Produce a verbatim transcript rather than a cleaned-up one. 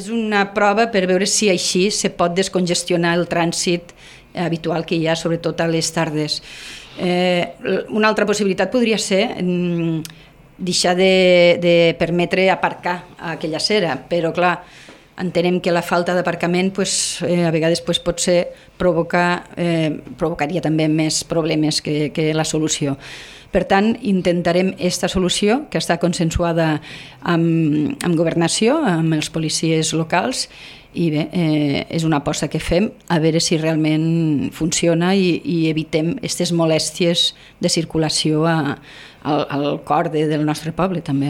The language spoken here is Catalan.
És una prova per veure si així se pot descongestionar el trànsit habitual que hi ha, sobretot a les tardes. Eh, una altra possibilitat podria ser mm, deixar de, de permetre aparcar a aquella acera, però clar, entenem que la falta d'aparcament pues, eh, a vegades pues, pot ser provocar, eh, provocaria també més problemes que, que la solució. Per tant, intentarem aquesta solució que està consensuada amb, amb governació, amb els policies locals, i bé, eh, és una aposta que fem a veure si realment funciona i, i evitem aquestes molèsties de circulació a, al, al cor de, del nostre poble també.